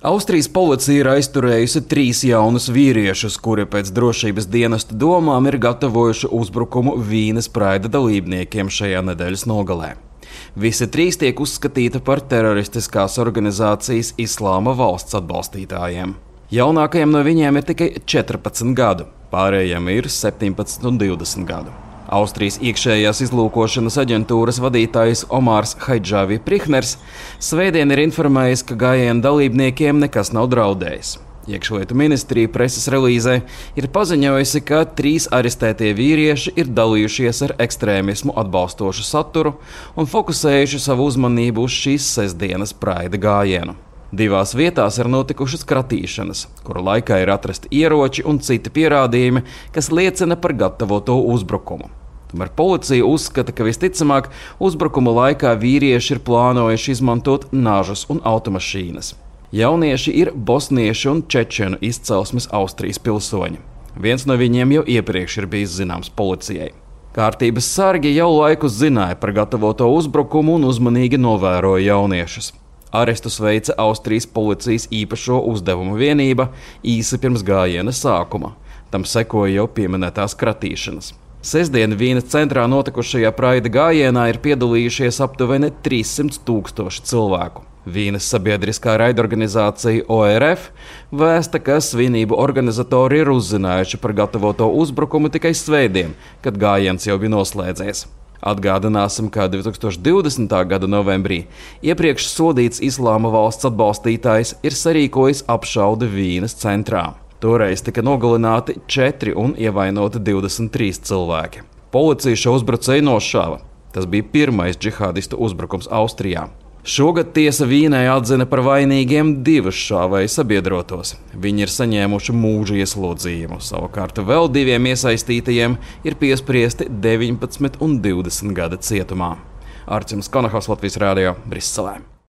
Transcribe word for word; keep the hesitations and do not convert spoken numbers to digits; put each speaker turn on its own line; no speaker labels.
Austrijas policija ir aizturējusi trīs jaunus vīriešus, kuri pēc drošības dienesta domām ir gatavojuši uzbrukumu Vīnes praida dalībniekiem šajā nedēļas nogalē. Visi trīs tiek uzskatīti par teroristiskās organizācijas Islāma valsts atbalstītājiem. Jaunākajiem no viņiem ir tikai četrpadsmit gadu, pārējiem ir septiņpadsmit un divdesmit gadu. Austrijas iekšējās izlūkošanas aģentūras vadītājs Omārs Haidžāvi Prihners svētdien ir informējis, ka gājiena dalībniekiem nekas nav draudējis. Iekšlietu ministrija preses relīzē ir paziņojusi, ka trīs arestētie vīrieši ir dalījušies ar ekstrēmismu atbalstošu saturu un fokusējuši savu uzmanību uz šīs sestdienas praida gājienu. Divās vietās ir notikušas kratīšanas, kuru laikā ir atrasti ieroči un citi pierādījumi, kas liecina par gatavoto uzbrukumu. Tomēr policija uzskata, ka visticamāk uzbrukuma laikā vīrieši ir plānojuši izmantot nažus un automašīnas. Jaunieši ir bosniešu un čečenu izcelsmes Austrijas pilsoņi. Viens no viņiem jau iepriekš ir bijis zināms policijai. Kārtības sargi jau laikus zināja par gatavoto uzbrukumu un uzmanīgi novēroja jauniešus. Arestus veica Austrijas policijas īpašo uzdevumu vienība īsi pirms gājiena sākuma. Tam sekoja jau pieminētās kratīšanas. Sestdien Vīnes centrā notikušajā praida gājienā ir piedalījušies aptuveni trīssimt tūkstoši cilvēku. Vīnes sabiedriskā raidorganizācija O R F vēsta, ka svinību organizatori ir uzzinājuši par gatavoto uzbrukumu tikai svētdien, kad gājiens jau bija noslēdzies. Atgādināsim, ka divi tūkstoši divdesmitā gada novembrī iepriekš sodīts Islāma valsts atbalstītājs ir sarīkojis apšaudi Vīnes centrā. Toreiz tika nogalināti četri un ievainoti divdesmit trīs cilvēki. Policija šo uzbrucēju nošāva. Tas bija pirmais džihādistu uzbrukums Austrijā. Šogad tiesa Vīnē atzina par vainīgiem divus šāvēju sabiedrotos. Viņi ir saņēmuši mūža ieslodzījumu, savukārt vēl diviem iesaistītajiem ir piespriesti deviņpadsmit un divdesmit gada cietumā. Arcims Konahaus, Latvijas radio, Briselē.